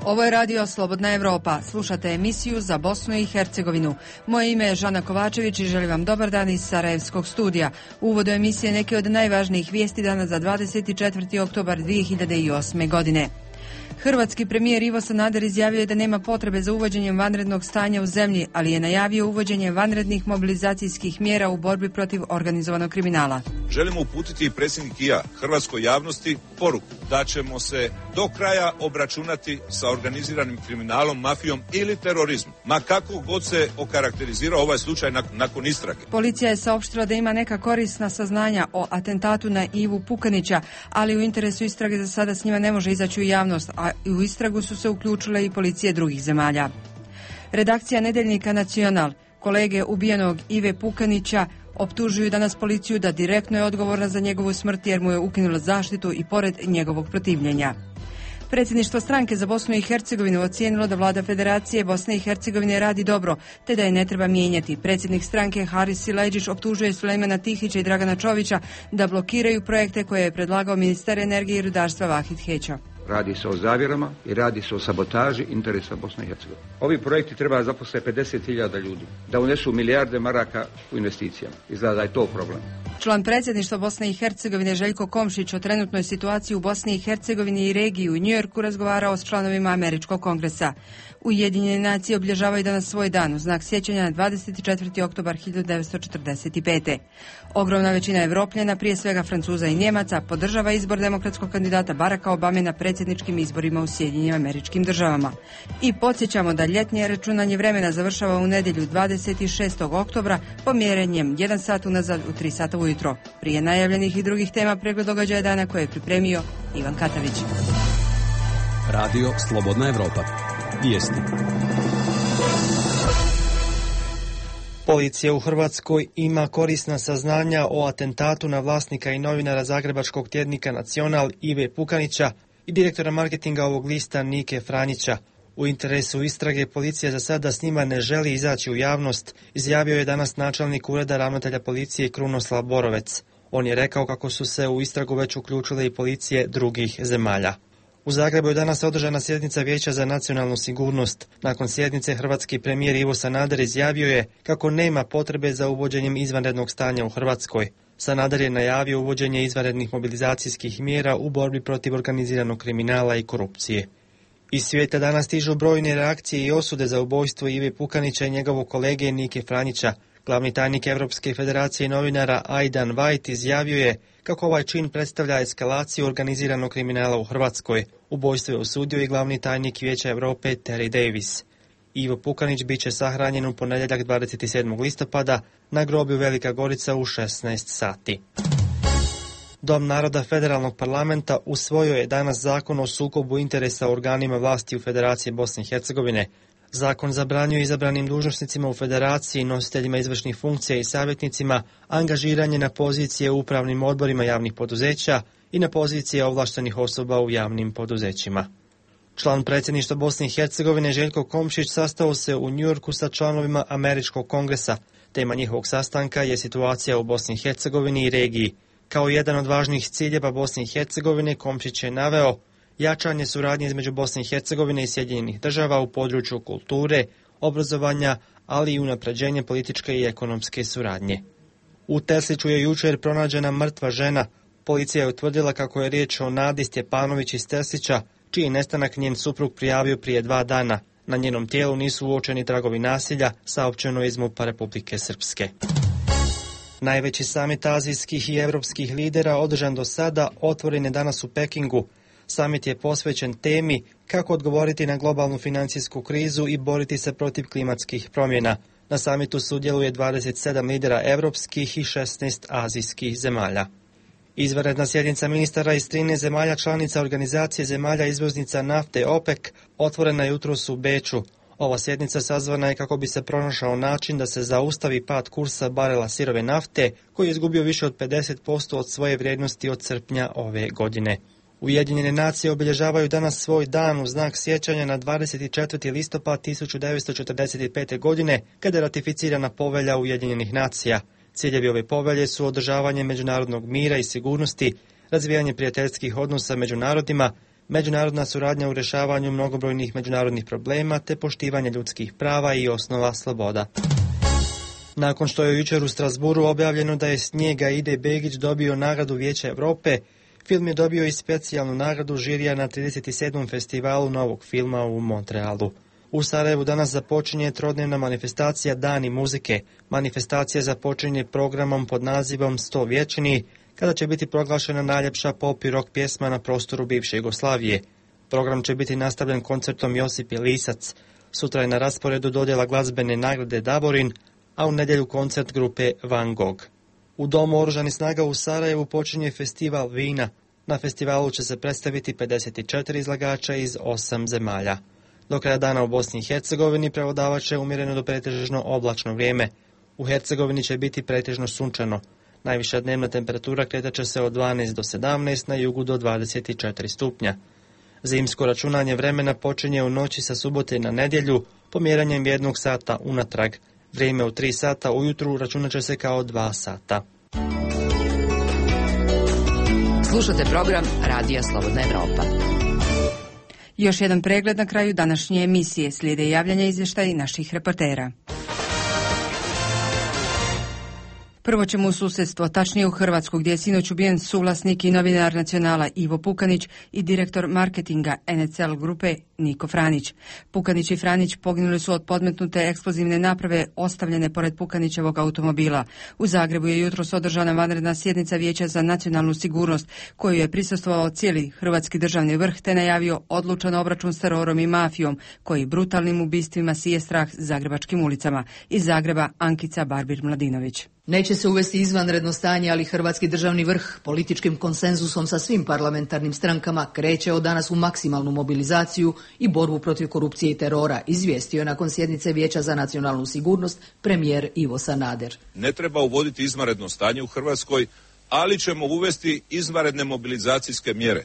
Ovo je radio Slobodna Evropa. Slušate emisiju za Bosnu i Hercegovinu. Moje ime je Žana Kovačević i želim vam dobar dan iz Sarajevskog studija. U uvodu emisije neke od najvažnijih vijesti dana za 24. oktobar 2008. godine. Hrvatski premijer Ivo Sanader izjavio je da nema potrebe za uvođenjem vanrednog stanja u zemlji, ali je najavio uvođenje vanrednih mobilizacijskih mjera u borbi protiv organizovanog kriminala. Želimo uputiti i predsjednik i ja hrvatskoj javnosti poruku da ćemo se do kraja obračunati sa organiziranim kriminalom, mafijom ili terorizmom, ma kako god se okarakterizirao ovaj slučaj nakon istrage. Policija je saopštila da ima neka korisna saznanja o atentatu na Ivu Pukanića, ali u interesu istrage za sada s njima ne može izaći u javnost, a u istragu su se uključile i policije drugih zemalja. Redakcija nedeljnika Nacional, kolege ubijenog Ive Pukanića, optužuju danas policiju da direktno je odgovorna za njegovu smrt jer mu je ukinula zaštitu i pored njegovog protivljenja. Predsjedništvo stranke za Bosnu i Hercegovinu ocijenilo da vlada Federacije Bosne i Hercegovine radi dobro, te da je ne treba mijenjati. Predsjednik stranke Haris Silajdžić optužuje Sulejmana Tihića i Dragana Čovića da blokiraju projekte koje je predlagao ministar energije i rudarstva Vahid Heća. Radi se o zavjerama i radi se o sabotaži interesa Bosne i Hercegovine. Ovi projekti treba zaposliti 50.000 ljudi, da unesu milijarde maraka u investicijama. Izgleda da je to problem. Član predsjedništva Bosne i Hercegovine Željko Komšić o trenutnoj situaciji u Bosni i Hercegovini i regiji u Njujorku razgovarao s članovima Američkog kongresa. Ujedinjene nacije obilježavaju danas svoj dan u znak sjećanja na 24. oktobar 1945. Ogromna većina Evropljana, prije svega Francuza i Njemaca, podržava izbor demokratskog kandidata Baracka Obame na predsjedničkim izborima u Sjedinjenim Američkim Državama. I podsjećamo da ljetnje računanje vremena završava u nedjelju 26. oktobra pomjerenjem 1 sat unazad u 3 sata ujutro. Prije najavljenih i drugih tema pregled događaja dana koje je pripremio Ivan Katavić. Radio Slobodna Evropa. Vijesti. Policija u Hrvatskoj ima korisna saznanja o atentatu na vlasnika i novinara zagrebačkog tjednika Nacional Ive Pukanića i direktora marketinga ovog lista Nike Franjića. U interesu istrage policija za sada s njima ne želi izaći u javnost, izjavio je danas načelnik ureda ravnatelja policije Krunoslav Borovec. On je rekao kako su se u istragu već uključile i policije drugih zemalja. U Zagrebu je danas održana sjednica Vijeća za nacionalnu sigurnost. Nakon sjednice hrvatski premijer Ivo Sanader izjavio je kako nema potrebe za uvođenjem izvanrednog stanja u Hrvatskoj. Sanader je najavio uvođenje izvanrednih mobilizacijskih mjera u borbi protiv organiziranog kriminala i korupcije. Iz svijeta danas stižu brojne reakcije i osude za ubojstvo Ive Pukanića i njegovog kolege Nike Franjića. Glavni tajnik Europske federacije novinara Aidan White izjavio je kako ovaj čin predstavlja eskalaciju organiziranog kriminala u Hrvatskoj. Ubojstvo je osudio i glavni tajnik Vijeća Europe Terry Davis. Ivo Pukanić bit će sahranjen u ponedjeljak 27. listopada na groblju Velika Gorica u 16 sati. Dom naroda Federalnog parlamenta usvojio je danas zakon o sukobu interesa u organima vlasti u Federaciji Bosne i Hercegovine. Zakon zabranjuje izabranim dužnosnicima u federaciji, nositeljima izvršnih funkcija i savjetnicima angažiranje na pozicije u upravnim odborima javnih poduzeća i na pozicije ovlaštenih osoba u javnim poduzećima. Član predsjedništva Bosne i Hercegovine Željko Komšić sastao se u Njujorku sa članovima Američkog kongresa. Tema njihovog sastanka je situacija u Bosni i Hercegovini i regiji. Kao jedan od važnijih ciljeva Bosne i Hercegovine Komšić je naveo jačanje suradnje između Bosne i Hercegovine i Sjedinjenih Država u području kulture, obrazovanja, ali i unapređenje političke i ekonomske suradnje. U Tesliću je jučer pronađena mrtva žena. Policija je utvrdila kako je riječ o Nadi Stjepanović iz Teslića, čiji nestanak njen suprug prijavio prije 2 dana. Na njenom tijelu nisu uočeni tragovi nasilja, saopćeno je iz MUP-a Republike Srpske. Najveći samit azijskih i europskih lidera održan do sada otvoren je danas u Pekingu. Samit je posvećen temi kako odgovoriti na globalnu financijsku krizu i boriti se protiv klimatskih promjena. Na samitu sudjeluje 27 lidera europskih i 16 azijskih zemalja. Izvanredna sjednica ministara iz 13 zemalja članica Organizacije zemalja izvoznica nafte OPEC otvorena je jutros u Beču. Ova sjednica sazvana je kako bi se pronašao način da se zaustavi pad kursa barela sirove nafte, koji je izgubio više od 50% od svoje vrijednosti od srpnja ove godine. Ujedinjene nacije obilježavaju danas svoj dan u znak sjećanja na 24. listopad 1945. godine, kada je ratificirana povelja Ujedinjenih nacija. Ciljevi ove povelje su održavanje međunarodnog mira i sigurnosti, razvijanje prijateljskih odnosa među narodima, međunarodna suradnja u rješavanju mnogobrojnih međunarodnih problema te poštivanje ljudskih prava i osnova sloboda. Nakon što je jučer u Strasburu objavljeno da je Snijega Ide Begić dobio nagradu Vijeća Europe, film je dobio i specijalnu nagradu žirija na 37. festivalu novog filma u Montrealu. U Sarajevu danas započinje trodnevna manifestacija Dani muzike. Manifestacija započinje programom pod nazivom 100 vječni, kada će biti proglašena najljepša pop i rock pjesma na prostoru bivše Jugoslavije. Program će biti nastavljen koncertom Josip Lisac. Sutra je na rasporedu dodjela glazbene nagrade Davorin, a u nedjelju koncert grupe Van Gogh. U Domu oružanih snaga u Sarajevu počinje festival vina. Na festivalu će se predstaviti 54 izlagača iz 8 zemalja. Do kraja dana u Bosni i Hercegovini prevladavat će umjereno do pretežno oblačno vrijeme. U Hercegovini će biti pretežno sunčano. Najviša dnevna temperatura kretat će se od 12 do 17, na jugu do 24 stupnja. Zimsko računanje vremena počinje u noći sa subote na nedjelju, pomjeranjem 1 sata unatrag. Vrijeme u 3 sata ujutru računat će se kao 2 sata. Slušate program Radija Slobodna Evropa. Još jedan pregled na kraju današnje emisije. Slijede javljanja izvještaja naših reportera. Prvo ćemo u susjedstvo, tačnije u Hrvatsku, gdje je sinoć ubijen suvlasnik i novinar Nacionala Ivo Pukanić i direktor marketinga NCL grupe Niko Franić. Pukanić i Franić poginuli su od podmetnute eksplozivne naprave ostavljene pored Pukanićevog automobila. U Zagrebu je jutros održana vanredna sjednica Vijeća za nacionalnu sigurnost, koju je prisustvovao cijeli hrvatski državni vrh te najavio odlučan obračun s terorom i mafijom, koji brutalnim ubistvima sije strah zagrebačkim ulicama. Iz Zagreba Ankica Barbir-Mladinović. Neće se uvesti izvanredno stanje, ali hrvatski državni vrh političkim konsenzusom sa svim parlamentarnim strankama kreće od danas u maksimalnu mobilizaciju i borbu protiv korupcije i terora, izvijestio je nakon sjednice Vijeća za nacionalnu sigurnost premijer Ivo Sanader. Ne treba uvoditi izvanredno stanje u Hrvatskoj, ali ćemo uvesti izvanredne mobilizacijske mjere.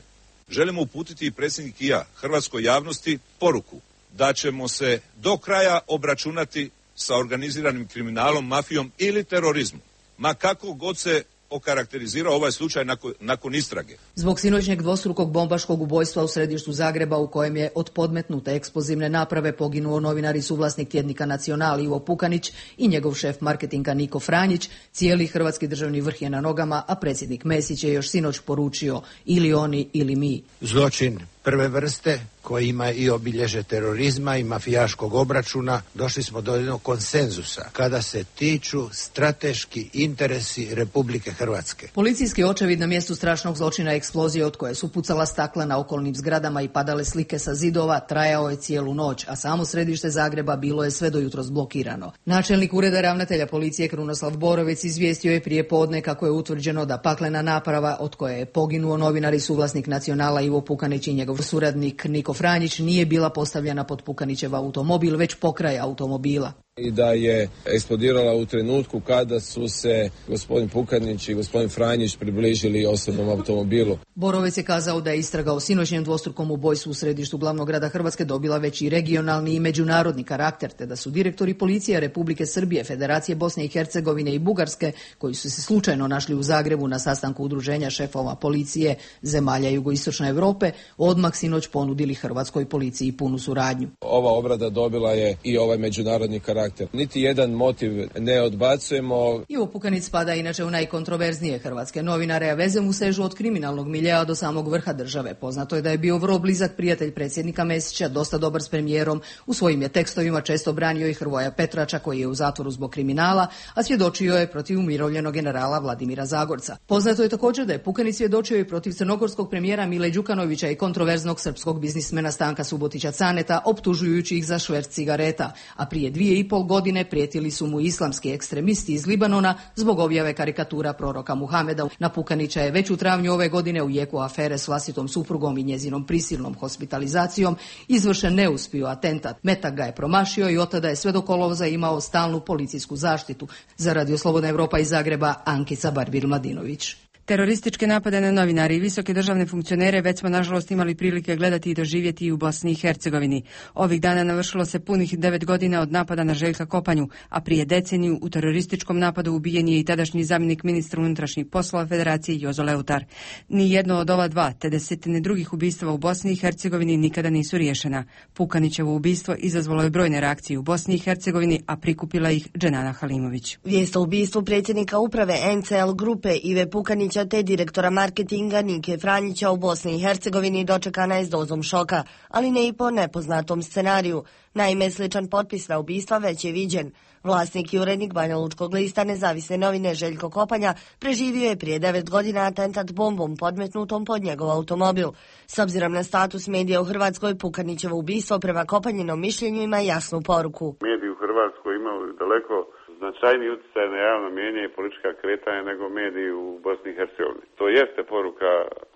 Želimo uputiti i predsjednik i ja hrvatskoj javnosti poruku da ćemo se do kraja obračunati sa organiziranim kriminalom, mafijom ili terorizmom, ma kako god se okarakterizirao ovaj slučaj nakon istrage. Zbog sinoćnjeg dvostrukog bombaškog ubojstva u središtu Zagreba, u kojem je od podmetnute eksplozivne naprave poginuo novinar i suvlasnik tjednika Nacional Ivo Pukanić i njegov šef marketinga Niko Franjić, cijeli hrvatski državni vrh je na nogama, a predsjednik Mesić je još sinoć poručio ili oni ili mi. Zločin prve vrste koji ima i obilježe terorizma i mafijaškog obračuna, došli smo do jednog konsenzusa kada se tiču strateški interesi Republike Hrvatske. Policijski očevid na mjestu strašnog zločina eksplozije od koje su pucala stakla na okolnim zgradama i padale slike sa zidova trajao je cijelu noć, a samo središte Zagreba bilo je sve do jutros blokirano. Načelnik ureda ravnatelja policije Krunoslav Borović izvijestio je prije podne kako je utvrđeno da paklena naprava od koje je poginuo novinar i suvlasnik Nacionala Ivo Pukanić i njegov suradnik Niko Franjić nije bila postavljena pod Pukanićev automobil, već pokraj automobila. I da je eksplodirala u trenutku kada su se gospodin Pukanić i gospodin Franjić približili osobnom automobilu. Borovec je kazao da je istraga o sinoćnjem dvostrukom ubojstvu u središtu glavnog grada Hrvatske dobila već i regionalni i međunarodni karakter, te da su direktori policije Republike Srbije, Federacije Bosne i Hercegovine i Bugarske, koji su se slučajno našli u Zagrebu na sastanku udruženja šefova policije zemalja jugoistočne Europe, odmah sinoć ponudili hrvatskoj policiji punu suradnju. Ova obrada dobila je i ovaj međunarodni karakter. Niti jedan motiv ne odbacujemo. Ivo Pukanić spada inače u najkontroverznije hrvatske novinare, a veze mu sežu od kriminalnog miljea do samog vrha države. Poznato je da je bio vrlo blizak prijatelj predsjednika Mesića, dosta dobar s premijerom. U svojim je tekstovima često branio i Hrvoja Petrača, koji je u zatvoru zbog kriminala, a svjedočio je protiv umirovljenog generala Vladimira Zagorca. Poznato je također da je Pukanić svjedočio i protiv crnogorskog premijera Mile Đukanovića i kontroverznog srpskog biznismena Stanka Subotića Caneta, optužujući ih za šverc cigareta, a prije 2,5 godine prijetili su mu islamski ekstremisti iz Libanona zbog objave karikatura proroka Muhameda. Na Pukanića je već u travnju ove godine u jeku afere s vlastitom suprugom i njezinom prisilnom hospitalizacijom izvršen neuspio atentat. Metak ga je promašio i od tada je sve do kolovoza imao stalnu policijsku zaštitu. Za Radio Slobodna Evropa iz Zagreba, Ankica Barbir-Mladinović. Terorističke napade na novinari i visoke državne funkcionere već smo nažalost imali prilike gledati i doživjeti i u Bosni i Hercegovini. Ovih dana navršilo se punih 9 godina od napada na Željka Kopanju, a prije deceniju u terorističkom napadu ubijen je i tadašnji zamjenik ministra unutrašnjih poslova Federacije Jozo Leutar. Ni jedno od ova dva, te desetine drugih ubistava u Bosni i Hercegovini nikada nisu riješena. Pukanićevo ubistvo izazvalo je brojne reakcije u Bosni i Hercegovini, a prikupila ih Dženana Halimović. Vijest o ubistvu predsjednika uprave NCL grupe Ive Pukanića te direktora marketinga Nike Franjića u Bosni i Hercegovini dočekana je s dozom šoka, ali ne i po nepoznatom scenariju. Naime, sličan potpis na ubistva već je viđen. Vlasnik i urednik Banja Lučkog lista Nezavisne novine Željko Kopanja preživio je prije 9 godina atentat bombom podmetnutom pod njegov automobil. S obzirom na status medija u Hrvatskoj, Pukanićevo ubistvo prema Kopanjinom mišljenju ima jasnu poruku. Mediji u Hrvatskoj imaju daleko značajniji utjecaj na javno mijenje i politička kretanja nego mediji u Bosni i Hercegovini. To jeste poruka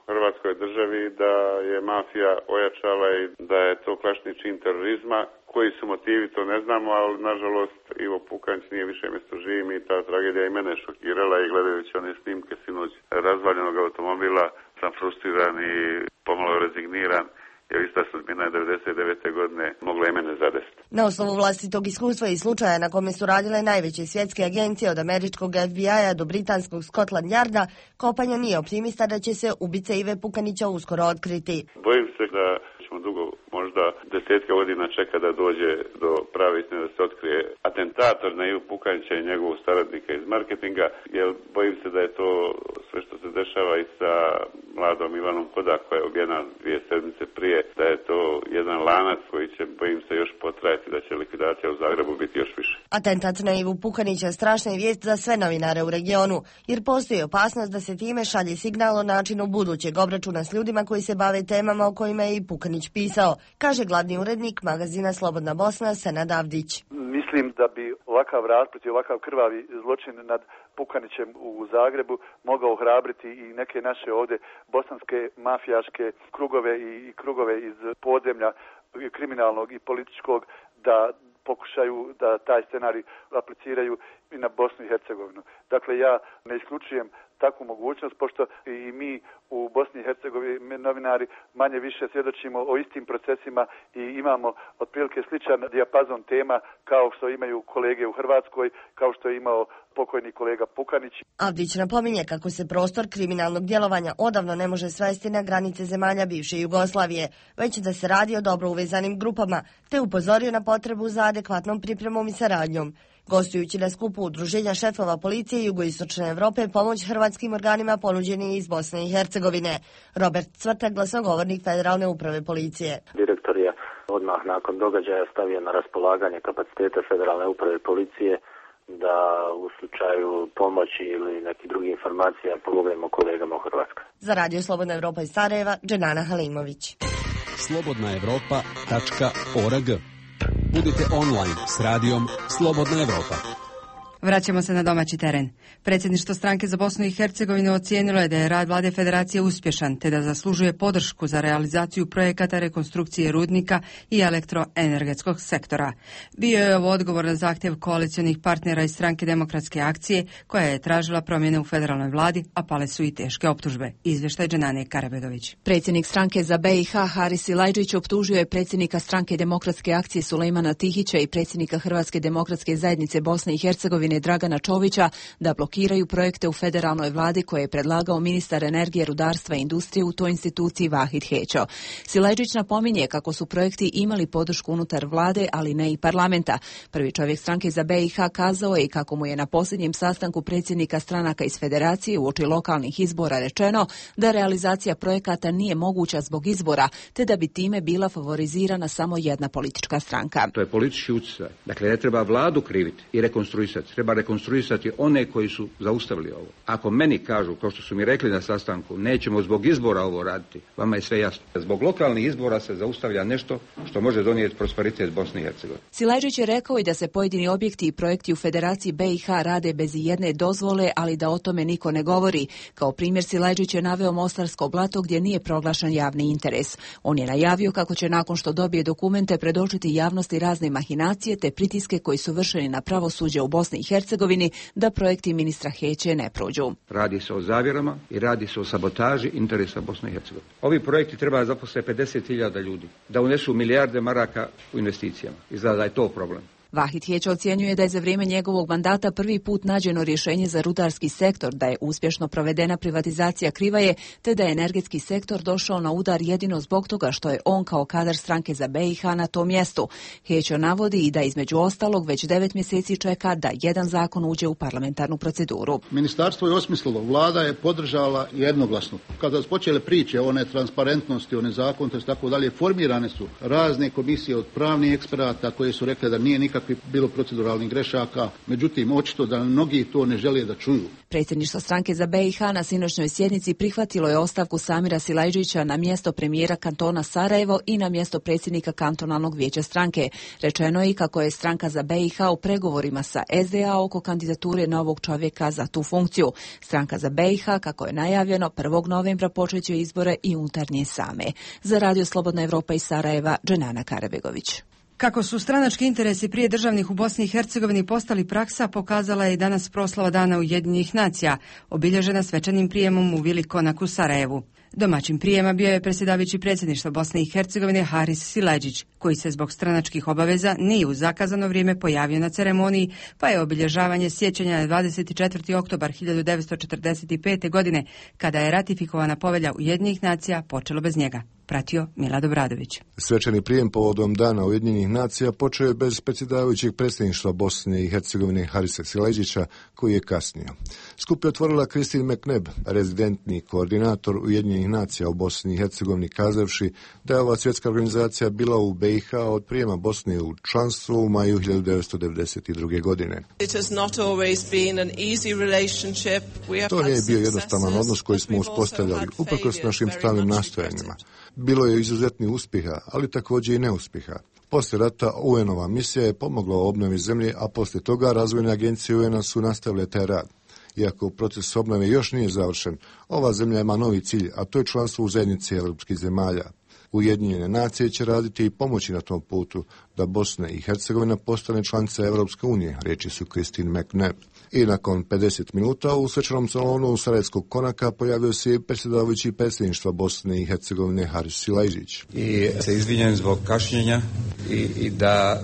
Hrvatskoj državi da je mafija ojačala i da je to klasični čin terorizma. Koji su motivi, to ne znamo, ali nažalost Ivo Pukanić nije više mjesto živim i ta tragedija i mene šokirala i gledajući one snimke sinoć razvaljenog automobila sam frustriran i pomalo rezigniran. Jer ista sudbina 99. godine mogla i mene zadesiti. Na osnovu vlastitog iskustva i slučaja na kome su radile najveće svjetske agencije od američkog FBI-a do britanskog Scotland Yarda, Kopanja nije optimista da će se ubice Ive Pukanića uskoro otkriti. Bojim se da ćemo dugo, možda desetke godina čeka da dođe do prave istine, da se otkrije atentator na Ivu Pukanića i njegovog saradnika iz marketinga, jer bojim se da je to sve što se dešava i sa mladom Ivanom Kodak koja je ubijena 2 sedmice prije, da je to jedan lanac koji će, bojim se, još potrajati, da će likvidacija u Zagrebu biti još više. Atentat na Ivu Pukanića strašna je vijest za sve novinare u regionu, jer postoji opasnost da se time šalje signal o načinu budućeg obračuna s ljudima koji se bave temama o kojima je i Pukanić pisao, kaže glavni urednik magazina Slobodna Bosna Senad Avdić. Mislim da bi ovakav rasplet i ovakav krvavi zločin nad Pukanićem u Zagrebu mogao ohrabriti i neke naše ovdje bosanske mafijaške krugove i krugove iz podzemlja kriminalnog i političkog da pokušaju da taj scenarij apliciraju i na Bosnu i Hercegovinu. Dakle, ja ne isključujem takvu mogućnost, pošto i mi u Bosni i Hercegovini novinari manje više svjedočimo o istim procesima i imamo otprilike sličan dijapazon tema kao što imaju kolege u Hrvatskoj, kao što je imao pokojni kolega Pukanić. Avdić napominje kako se prostor kriminalnog djelovanja odavno ne može svesti na granice zemalja bivše Jugoslavije, već da se radi o dobro uvezanim grupama, te upozorio na potrebu za adekvatnom pripremom i saradnjom. Gostujući na skupu Udruženja šefova policije Jugoistočne Europe, pomoć hrvatskim organima ponuđen je iz Bosne i Hercegovine. Robert Cvrtak, glasnogovornik Federalne uprave policije. Direktor je odmah nakon događaja stavio na raspolaganje kapacitete Federalne uprave policije da u slučaju pomoći ili nekih drugih informacija pomognemo kolegama u Hrvatskoj. Za Radio Slobodna Evropa iz Sarajeva, Dženana Halimović. slobodnaevropa.org. Budite online s radijom Slobodna Evropa. Vraćamo se na domaći teren. Predsjedništvo stranke za Bosnu i Hercegovinu ocijenilo je da je rad vlade federacije uspješan, te da zaslužuje podršku za realizaciju projekata rekonstrukcije rudnika i elektroenergetskog sektora. Bio je ovo odgovor na zahtjev koalicionih partnera iz stranke Demokratske akcije, koja je tražila promjene u federalnoj vladi, a pale su i teške optužbe. Izvještaj Dženane Karabegović. Predsjednik stranke za BiH Haris Silajdžić optužio je predsjednika stranke Demokratske akcije Sulejmana Tihića i predsjednika Hrvatske demokratske zajednice Bosne i Hercegovine Dragana Čovića da blokiraju projekte u federalnoj vladi koje je predlagao ministar energije, rudarstva i industrije u toj instituciji Vahid Hećo. Silajdžić napominje kako su projekti imali podršku unutar vlade, ali ne i parlamenta. Prvi čovjek stranke za BiH kazao je i kako mu je na posljednjem sastanku predsjednika stranaka iz federacije uoči lokalnih izbora rečeno da realizacija projekata nije moguća zbog izbora, te da bi time bila favorizirana samo jedna politička stranka. To je politički utjecaj. Dakle, ne treba vladu kriviti i rekonstruisati. Treba rekonstruisati one koji su zaustavili ovo. Ako meni kažu, kao što su mi rekli na sastanku, nećemo zbog izbora ovo raditi, vama je sve jasno. Zbog lokalnih izbora se zaustavlja nešto što može donijeti prosperitet Bosne i Hercegovine. Silajdžić je rekao i da se pojedini objekti i projekti u Federaciji BiH rade bez jedne dozvole, ali da o tome niko ne govori. Kao primjer Silajdžić je naveo Mostarsko blato gdje nije proglašen javni interes. On je najavio kako će nakon što dobije dokumente predočiti javnosti razne mahinacije te pritiske koji su vršeni na pravosuđe u Bosni i Hercegovini da projekti ministra Heće ne prođu. Radi se o zavjerama i radi se o sabotaži interesa Bosne i Hercegovine. Ovi projekti treba zaposliti 50.000 ljudi, da unesu milijarde maraka u investicijama. Izgleda da je to problem. Vahid Heć ocjenjuje da je za vrijeme njegovog mandata prvi put nađeno rješenje za rudarski sektor, da je uspješno provedena privatizacija Krivaje, te da je energetski sektor došao na udar jedino zbog toga što je on kao kadar stranke za BiH na tom mjestu. Heć navodi i da između ostalog već 9 mjeseci čeka da jedan zakon uđe u parlamentarnu proceduru. Ministarstvo je osmislilo, vlada je podržala jednoglasno. Kada su počele priče o netransparentnosti, o nezakonitosti, tako dalje, formirane su razne komisije od pravnih eksperata koje su rekle da nije nikakvi bilo proceduralnih grešaka, međutim očito da mnogi to ne žele da čuju. Predsjedništvo stranke za BiH na sinoćnoj sjednici prihvatilo je ostavku Samira Silajdžića na mjesto premijera kantona Sarajevo i na mjesto predsjednika kantonalnog vijeća stranke. Rečeno je i kako je stranka za BiH u pregovorima sa SDA oko kandidature novog čovjeka za tu funkciju. Stranka za BiH, kako je najavljeno, 1. novembra počeće izbore i unutarnje same. Za Radio Slobodna Evropa iz Sarajeva, Dženana Karabegović. Kako su stranački interesi prije državnih u Bosni i Hercegovini postali praksa, pokazala je i danas proslava Dana Ujedinjenih nacija, obilježena svečanim prijemom u Vili Konak u Sarajevu. Domaćin prijema bio je predsjedavajući predsjedništva Bosne i Hercegovine Haris Silajdžić, koji se zbog stranačkih obaveza nije u zakazano vrijeme pojavio na ceremoniji, pa je obilježavanje sjećanja na 24. oktobar 1945. godine, kada je ratifikovana povelja Ujedinjenih nacija, počelo bez njega. Pratio Milad Obradović. Svečani prijem povodom Dana Ujedinjenih nacija počeo je bez predsjedavajućeg predsjedništva Bosne i Hercegovine Harisa Silajdžića, koji je kasnio. Skup je otvorila Christine McNabb, rezidentni koordinator Ujedinjenih nacija u Bosni i Hercegovini, kazavši da je ova svjetska organizacija bila u BiH od prijema Bosne u članstvo u maju 1992. godine. To nije bio jednostavan odnos koji smo uspostavljali, uprkos našim stalnim nastojanjima. Bilo je izuzetnih uspjeha, ali također i neuspjeha. Poslije rata UN-ova misija je pomogla u obnovi zemlje, a poslije toga razvojne agencije UN-a su nastavile taj rad. Iako proces obnove još nije završen, ova zemlja ima novi cilj, a to je članstvo u zajednici europskih zemalja. Ujedinjene nacije će raditi i pomoći na tom putu da Bosna i Hercegovina postane članica Europske unije, riječi su Christine McNabb. I nakon 50 minuta u svečanom salonu Sarajevskog Konaka pojavio se i predsjedavajući predsjedništva Bosne i Hercegovine Haris Silajdžić. I se izvinjam zbog kašnjenja i da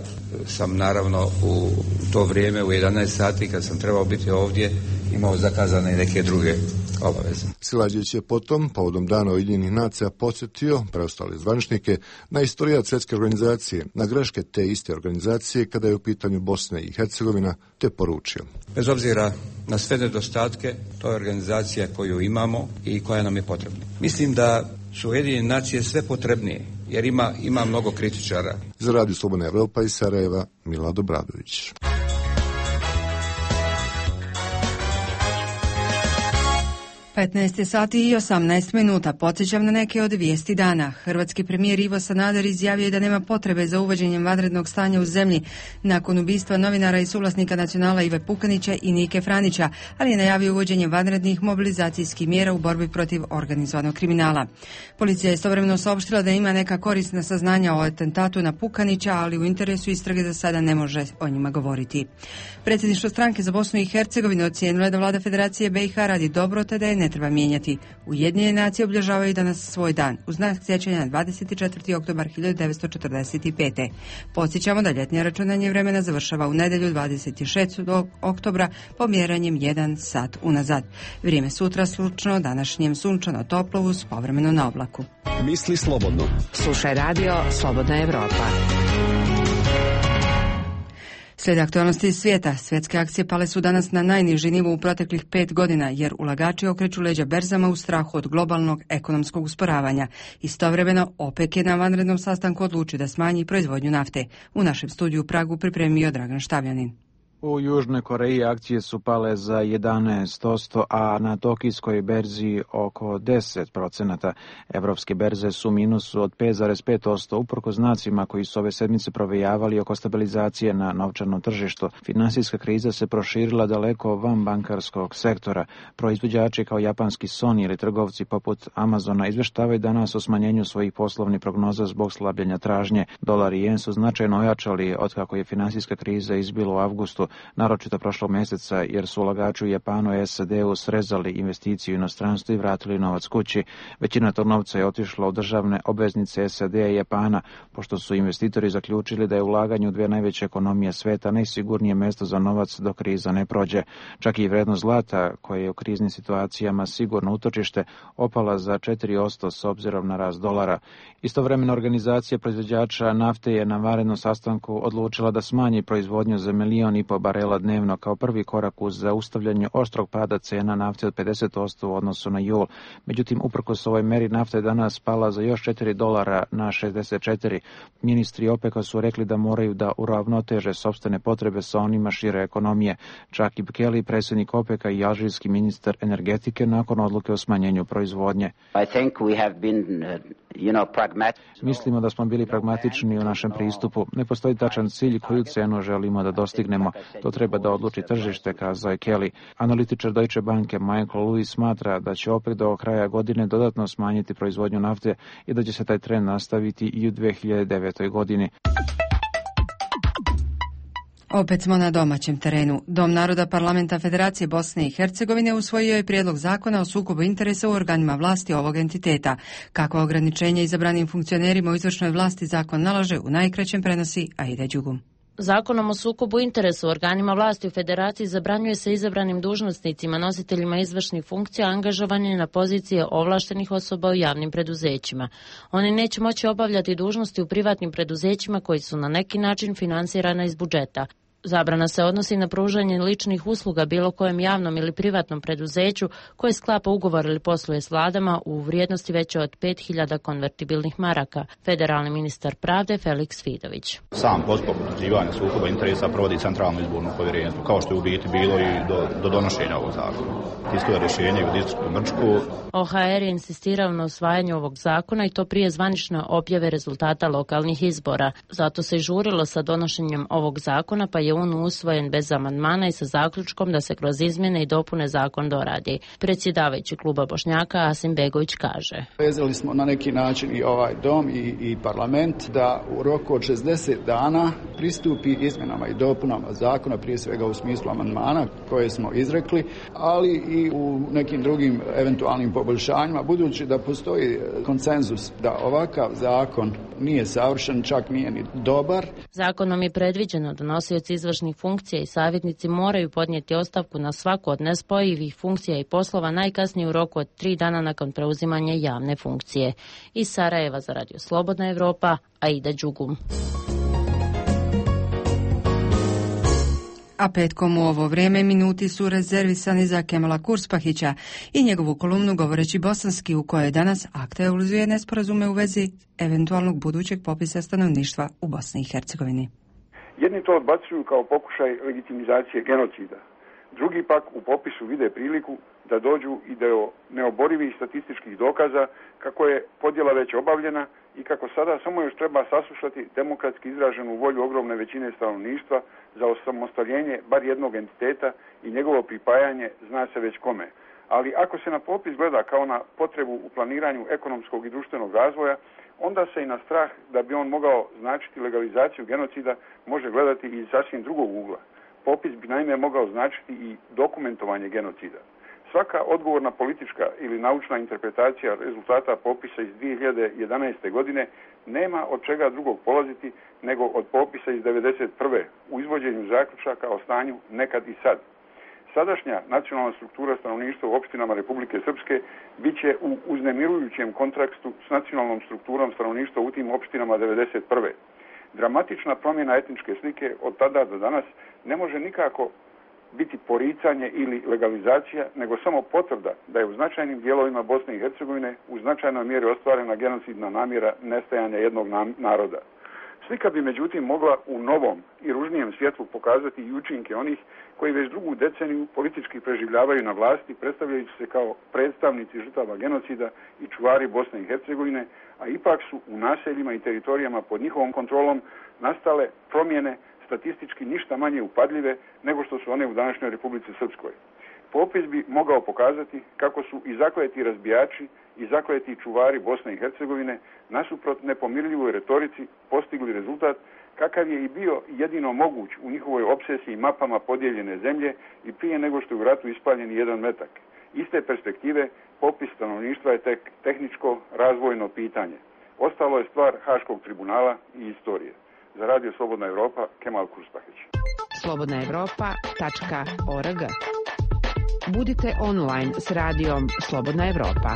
sam naravno u to vrijeme u 11 sati kad sam trebao biti ovdje imao zakazane i neke druge obaveze. Silajdžić je potom, povodom Dana Ujedinjenih nacija, podsjetio preostale zvaničnike na istorijat svjetske organizacije, na greške te iste organizacije kada je u pitanju Bosna i Hercegovina, te poručio. Bez obzira na sve nedostatke, to je organizacija koju imamo i koja nam je potrebna. Mislim da su Ujedinjene nacije sve potrebnije, jer ima mnogo kritičara. Za Radio Slobodna Evropa iz Sarajeva, Milad Obradović. 15 sati i 18 minuta. Podsjećam na neke od vijesti dana. Hrvatski premijer Ivo Sanader izjavio je da nema potrebe za uvođenjem vanrednog stanja u zemlji nakon ubistva novinara i suvlasnika Nacionala Ive Pukanića i Nike Franića, ali je najavio uvođenje vanrednih mobilizacijskih mjera u borbi protiv organizovanog kriminala. Policija je istovremeno saopštila da ima neka korisna saznanja o atentatu na Pukanića, ali u interesu istrage za sada ne može o njima govoriti. Predsjedništvo stranke za Bosnu i Hercegovinu ocijenilo je da vlada Federacije BiH radi dobro, te da je ne treba mijenjati. Ujedinjene nacije obilježavaju danas svoj dan, u znak sjećanja na 24. oktobar 1945. Podsjećamo da ljetnje računanje vremena završava u nedjelju 26. oktobra pomjeranjem 1 sat unazad. Vrijeme sutra slučno, današnjem sunčano toplo uz povremeno na oblaku. Misli slobodno. Slušaj Radio Slobodna Evropa. Slijede aktualnosti iz svijeta. Svjetske akcije pale su danas na najniži nivo u proteklih 5 godina, jer ulagači okreću leđa berzama u strahu od globalnog ekonomskog usporavanja. Istovremeno, OPEC je na vanrednom sastanku odlučio da smanji proizvodnju nafte. U našem studiju u Pragu pripremio Dragan Štavljanin. U Južnoj Koreji akcije su pale za 11%, a na tokijskoj berzi oko 10%. Evropske berze su u minusu od 5,5%, uprkos znacima koji su ove sedmice provejavali oko stabilizacije na novčanom tržištu. Finansijska kriza se proširila daleko van bankarskog sektora. Proizvođači kao japanski Sony ili trgovci poput Amazona izvještavaju danas o smanjenju svojih poslovnih prognoza zbog slabljenja tražnje. Dolar i jen su značajno ojačali otkako je finansijska kriza izbila u avgustu. naročito prošlog mjeseca, jer su ulagači u Japanu i SAD-u srezali investiciju u inostranstvu i vratili novac kući. Većina tog novca je otišla u državne obveznice SAD-a i Japana, pošto su investitori zaključili da je ulaganje u dvije najveće ekonomije sveta najsigurnije mjesto za novac dok kriza ne prođe. Čak i vrednost zlata, koje je u kriznim situacijama sigurno utočište, opala za 4% s obzirom na rast dolara. Istovremeno organizacija proizvođača nafte je na vanrednom sastanku odlučila da smanji proizvodnju za 1,5 milijuna barela dnevno kao prvi korak uz zaustavljanje oštrog pada cena nafte od 50% u odnosu na jul. Međutim, uprkos ovoj meri nafta je danas pala za još $4 na 64. Ministri OPEC-a su rekli da moraju da uravnoteže sopstvene potrebe sa onima šire ekonomije. Čak i Kelly, predsjednik OPEC-a i alžirski ministar energetike nakon odluke o smanjenju proizvodnje. Mislimo da smo bili pragmatični u našem pristupu. Ne postoji tačan cilj koju cenu želimo da dostignemo. To treba da odluči tržište, kazao je Kelly. Analitičar Deutsche Banke Michael Lewis smatra da će OPEC do kraja godine dodatno smanjiti proizvodnju nafte i da će se taj trend nastaviti i u 2009. godini. Opet smo na domaćem terenu. Dom naroda Parlamenta Federacije Bosne i Hercegovine usvojio je prijedlog zakona o sukobu interesa u organima vlasti ovog entiteta. Kako ograničenje izabranim funkcionerima u izvršnoj vlasti zakon nalaže, u najkraćem prenosi Aida Đugum. Zakonom o sukobu interesa u organima vlasti u Federaciji zabranjuje se izabranim dužnosnicima, nositeljima izvršnih funkcija, angažovanje na pozicije ovlaštenih osoba u javnim preduzećima. Oni neće moći obavljati dužnosti u privatnim preduzećima koji su na neki način finansirana iz budžeta. Zabrana se odnosi na pružanje ličnih usluga bilo kojem javnom ili privatnom preduzeću koje sklapa ugovor ili posluje s vladama u vrijednosti veće od 5.000 konvertibilnih maraka. Federalni ministar pravde Felix Fidović. Sam postupak utvrđivanja sukoba interesa provodi Centralno izborno povjerenstvo, kao što je u biti bilo i do donošenja ovog zakona. Tiskuje rješenje u distriktu Brčku. OHR je insistirao na usvajanju ovog zakona i to prije zvanične objave rezultata lokalnih izbora. Zato se i žurilo sa donošenjem ovog zakona, pa je on usvojen bez amandmana i sa zaključkom da se kroz izmjene i dopune zakon doradi. Predsjedavajući kluba Bošnjaka Asim Begović kaže: Vezali smo na neki način i ovaj dom i parlament da u roku od 60 dana pristupi izmjenama i dopunama zakona, prije svega u smislu amandmana koje smo izrekli, ali i u nekim drugim eventualnim poboljšanjima, budući da postoji konsenzus da ovakav zakon nije savršen, čak nije ni dobar. Zakonom je predviđeno da nosioci izvršnih funkcija i savjetnici moraju podnijeti ostavku na svaku od nespojivih funkcija i poslova najkasnije u roku od 3 dana nakon preuzimanja javne funkcije. Iz Sarajeva za Radio Slobodna Evropa, Aida Đugum. A petkom u ovo vrijeme minuti su rezervisani za Kemala Kurspahića i njegovu kolumnu Govoreći bosanski, u kojoj danas aktualizuje nesporazume u vezi eventualnog budućeg popisa stanovništva u Bosni i Hercegovini. Jedni to odbacuju kao pokušaj legitimizacije genocida. Drugi pak u popisu vide priliku da dođu i do neoborivih statističkih dokaza kako je podjela već obavljena i kako sada samo još treba saslušati demokratski izraženu volju ogromne većine stanovništva za osamostaljenje bar jednog entiteta i njegovo pripajanje zna se već kome. Ali ako se na popis gleda kao na potrebu u planiranju ekonomskog i društvenog razvoja, onda se i na strah da bi on mogao značiti legalizaciju genocida može gledati iz sasvim drugog ugla. Popis bi naime mogao značiti i dokumentovanje genocida. Svaka odgovorna politička ili naučna interpretacija rezultata popisa iz 2011. godine nema od čega drugog polaziti nego od popisa iz 1991. u izvođenju zaključaka o stanju nekad i sad. Sadašnja nacionalna struktura stanovništva u opštinama Republike Srpske bit će u uznemirujućem kontrastu s nacionalnom strukturom stanovništva u tim opštinama 1991. Dramatična promjena etničke slike od tada do danas ne može nikako biti poricanje ili legalizacija, nego samo potvrda da je u značajnim dijelovima Bosne i Hercegovine u značajnoj mjeri ostvarena genocidna namjera nestajanja jednog naroda. Slika bi međutim mogla u novom i ružnijem svjetlu pokazati i učinke onih koji već drugu deceniju politički preživljavaju na vlasti, predstavljajući se kao predstavnici žrtava genocida i čuvari Bosne i Hercegovine, a ipak su u naseljima i teritorijama pod njihovom kontrolom nastale promjene statistički ništa manje upadljive nego što su one u današnjoj Republici Srpskoj. Popis bi mogao pokazati kako su i zakleti razbijači i zakleti čuvari Bosne i Hercegovine nasuprot nepomirljivoj retorici postigli rezultat kakav je i bio jedino moguć u njihovoj opsesiji mapama podijeljene zemlje i prije nego što je u ratu ispaljen jedan metak. Iz te perspektive popis stanovništva je tek tehničko razvojno pitanje. Ostalo je stvar Haškog tribunala i istorije. Za Radio Slobodna Evropa, Kemal Kurspaheć. slobodnaevropa.org. Budite online s radijom Slobodna Evropa.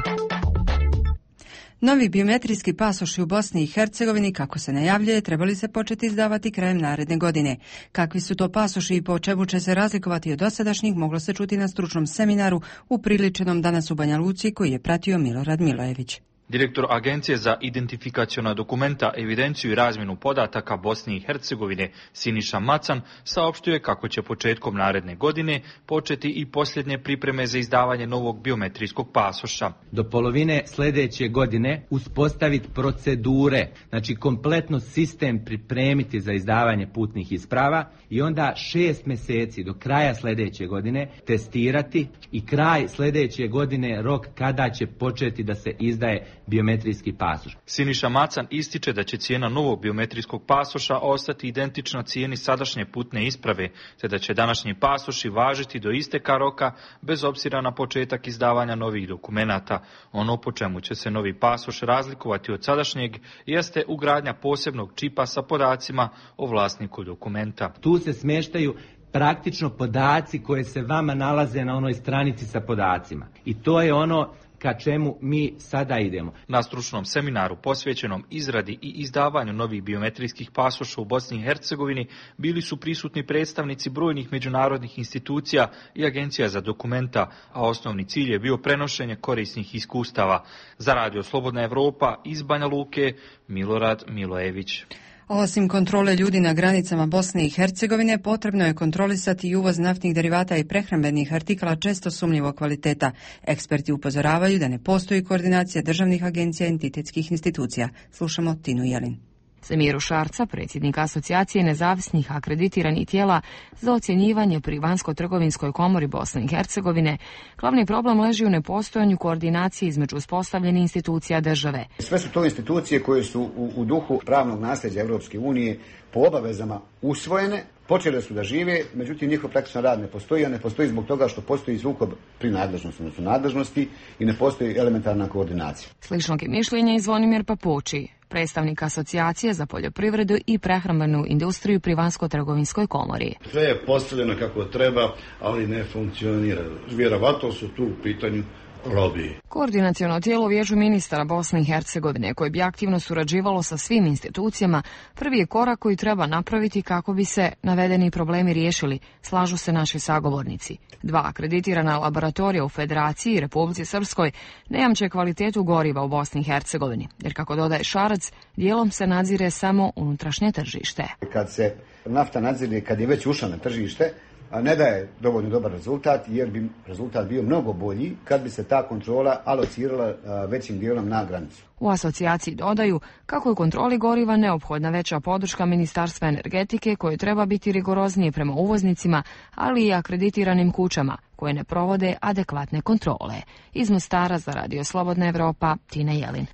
Novi biometrijski pasoši u Bosni i Hercegovini, kako se najavljuje, trebali se početi izdavati krajem naredne godine. Kakvi su to pasoši i po čemu će se razlikovati od dosadašnjih, moglo se čuti na stručnom seminaru upriličenom danas u Banja Luci, koji je pratio Milorad Milojević. Direktor Agencije za identifikaciona dokumenta, evidenciju i razmjenu podataka Bosne i Hercegovine Siniša Macan saopštuje kako će početkom naredne godine početi i posljednje pripreme za izdavanje novog biometrijskog pasoša. Do polovine sljedeće godine uspostaviti procedure, znači kompletno sistem pripremiti za izdavanje putnih isprava i onda 6 mjeseci do kraja sljedeće godine testirati i kraj sljedeće godine rok kada će početi da se izdaje biometrijski pasoš. Siniša Macan ističe da će cijena novog biometrijskog pasoša ostati identična cijeni sadašnje putne isprave, te da će današnji pasoši važiti do isteka roka bez obzira na početak izdavanja novih dokumenata. Ono po čemu će se novi pasoš razlikovati od sadašnjeg jeste ugradnja posebnog čipa sa podacima o vlasniku dokumenta. Tu se smještaju praktično podaci koje se vama nalaze na onoj stranici sa podacima. I to je ono ka čemu mi sada idemo. Na stručnom seminaru posvećenom izradi i izdavanju novih biometrijskih pasoša u Bosni i Hercegovini bili su prisutni predstavnici brojnih međunarodnih institucija i agencija za dokumenta, a osnovni cilj je bio prenošenje korisnih iskustava. Za Radio Slobodna Evropa iz Banja Luke, Milorad Milojević. Osim kontrole ljudi na granicama Bosne i Hercegovine, potrebno je kontrolisati i uvoz naftnih derivata i prehrambenih artikala često sumnjivog kvaliteta. Eksperti upozoravaju da ne postoji koordinacija državnih agencija i entitetskih institucija. Slušamo Tinu Jelin. Semiru Šarca, predsjednik Asocijacije nezavisnih akreditiranih tijela za ocjenjivanje pri Vanjsko-trgovinskoj komori Bosne i Hercegovine, glavni problem leži u nepostojanju koordinacije između uspostavljenih institucija države. Sve su to institucije koje su u duhu pravnog nasljeđa Europske unije po obavezama usvojene, počele su da žive, međutim njihov praktičan rad ne postoji, a ne postoji zbog toga što postoji sukob pri nadležnosti, odnosno nadležnosti i ne postoji elementarna koordinacija. Sličnog je mišljenja i Zvonimir Papuči, predstavnik Asocijacije za poljoprivredu i prehrambenu industriju pri Vanjsko-trgovinskoj komori. Sve je postavljeno kako treba, ali ne funkcionira. Vjerovatno su tu u pitanju lobiji. Koordinaciono tijelo Vijeću ministara Bosne i Hercegovine, koje bi aktivno surađivalo sa svim institucijama, prvi je korak koji treba napraviti kako bi se navedeni problemi riješili, slažu se naši sagovornici. 2 akreditirana laboratorija u Federaciji i Republici Srpskoj ne jamče kvalitetu goriva u Bosni i Hercegovini, jer kako dodaje Šarac, dijelom se nadzire samo unutrašnje tržište. Kad se nafta nadzire, kad je već ušla na tržište, ne daje dovoljno dobar rezultat, jer bi rezultat bio mnogo bolji kad bi se ta kontrola alocirala većim dijelom na granicu. U asocijaciji dodaju kako je kontroli goriva neophodna veća podrška Ministarstva energetike, koje treba biti rigoroznije prema uvoznicima, ali i akreditiranim kućama koje ne provode adekvatne kontrole. Iz Mostara za Radio Slobodna Evropa, Tina Jelin.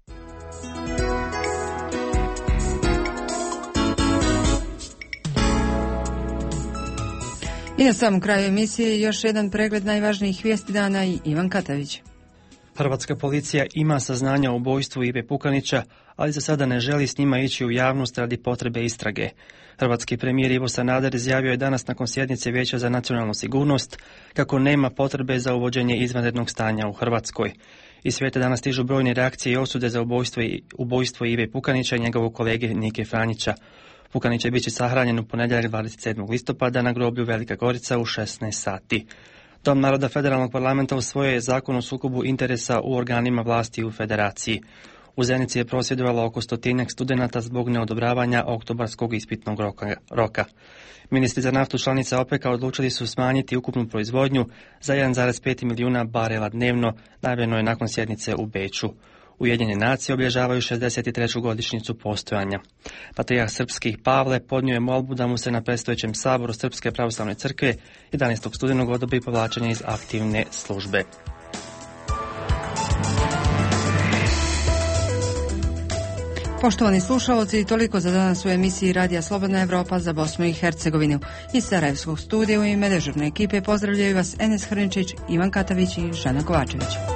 I na samom kraju emisije još jedan pregled najvažnijih vijesti dana i Ivan Katavić. Hrvatska policija ima saznanja o ubojstvu Ive Pukanića, ali za sada ne želi s njima ići u javnost radi potrebe istrage. Hrvatski premijer Ivo Sanader izjavio je danas nakon sjednice Vijeća za nacionalnu sigurnost kako nema potrebe za uvođenje izvanrednog stanja u Hrvatskoj. Iz svijeta danas stižu brojne reakcije i osude za ubojstvo Ive Pukanića i njegovog kolege Nike Franjića. Pukanić će biti sahranjen u ponedjeljak 27. listopada na groblju Velika Gorica u 16 sati. Dom naroda Federalnog parlamenta usvojio je zakon o sukobu interesa u organima vlasti u Federaciji. U Zenici je prosvjedovalo oko 100 studenata zbog neodobravanja oktobarskog ispitnog roka. Ministri za naftu članica OPEC-a odlučili su smanjiti ukupnu proizvodnju za 1,5 milijuna barela dnevno, najavljeno je nakon sjednice u Beču. Ujedinjene nacije obilježavaju 63. godišnjicu postojanja. Patrijarh srpskih Pavle podnio je molbu da mu se na predstojećem saboru Srpske pravoslavne crkve 11. studenog odobri povlačenje iz aktivne službe. Poštovani slušalci, toliko za danas u emisiji Radija Slobodna Evropa za Bosnu i Hercegovinu. Iz Sarajevskog studija u ime dežurne ekipe pozdravljaju vas Enes Hrničić, Ivan Katavić i Žana Kovačević.